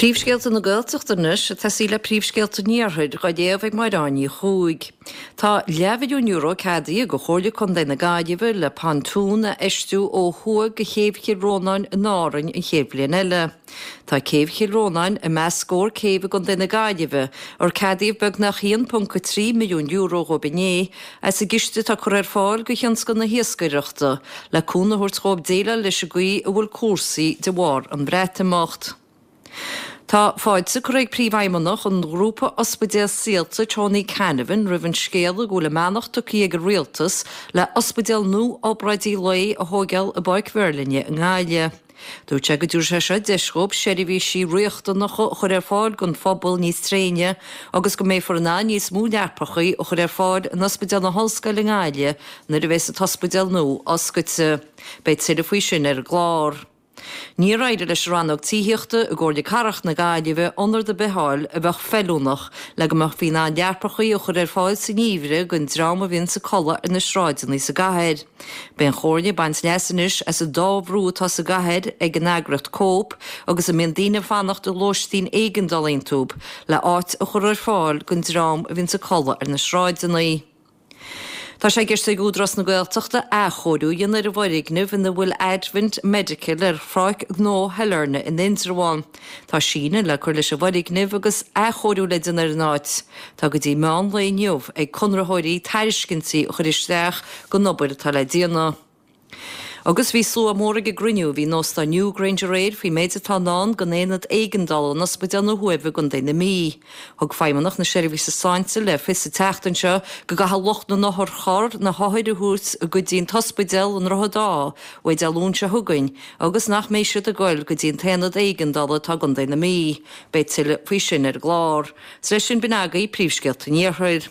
Príomhscéalta na Gaeltachta anois ag tosaí le príomhscéalta an Iarthair, dhá léamh ag Máire Áine Ní Chuaig. Tá leathmhilliún euro ceadaithe ag Comhairle Contae na Gaillimhe le pontún a fheistiú ó thuaidh de Chéibh Chill Rónáin in Árainn an chéad bhliain eile. Tá Céibh Chill Rónáin i measc scór céibh i gContae na Gaillimhe ar ceadaíodh beagnach €1.3 milliún dhóibh inné as an gciste atá curtha ar fáil do thionscal na hiascaireachta le cúnamh a thabhairt dhóibh déileáil leis an gcaoi a bhfuil cúrsaí de bharr an Bhreatimeacht. Tá fáilte curtha ag Príomhfheidhmeannach an ghrúpa ospidéal Saolta, Tony Canavan, roimh an scéala go bhfuil a mbeannacht tugtha ag an Rialtas le ospidéal nua obráidí lae a thóigeáil i bPáirc Mheirlinne i nGaillimh. Dúirt sé go dtabharfaidh sé seo deis dhóibh seirbhísí riachtanacha a chur ar fáil don phobal níos tréine agus go mbeifear in ann níos mó leapachaí a chur ar fáil in Ospidéal na hOllscoile i nGaillimh nuair a bheas an t-ospidéal nua oscailte. Beidh tuilleadh faoi sin ar an gclár. Níor éirigh leis an Rannóg Tithíochta i gComhairle Cathrach na Gaillimhe ionad ar bith a fháil a bheadh feiliúnach le go mbeifí in ann leapachaí a chur ar fáil sa ngeimhreadh don dream a bhíonns ag codladh ar na sráideanna sa gcathair. Beidh an Chomhairle ag baint leas anois as an dá bhrú atá sa gcathair ag an eagraíocht Cope agus a mbíonn daoine ag fanacht i lóistín éigeandála iontu le áit a chur ar fáil don dream a bhíonns ag codladh ar na sráideanna. Tá sé i gceist ag Údarás na Gaeltachta athchóiriú a dhéanamh ar an bhfoirgneamh ina bhfuil Advent Medical ar Pháirc Ghnó Shailearna in Indreabhán. Tá síneadh le cur leis an bhfoirgneamh agus athchóiriú le déanamh ar an áit. Tá go dtí meán lae inniu ag conraitheoirí tairiscintí a chur isteach don obair atá le déanamh. Agus bhí slua mór ag an gcruinniú a bhí in Óstán Newgrange aréir faoin méid atá i ndán don aonad éigeandála in Ospidéal na hUaimhe i gContae na Mí. Thug Feidhmeannach na Seirbhíse Sláinte le fios an tseachtain seo go gcaithfidh lucht na n-otharcharr na hothair a thabhairt go dtí an t-ospidéal i nDroichead Átha uaidh Dé Luain seo chugainn agus nach mbeidh siad ag goil go dtí an t-aonad éigeandála atá i gContae na Mí. Beidh tuilleadh faoi sin ar an gclár. 'S leis sin b'in agaibh príomhscéalta an Iarthair.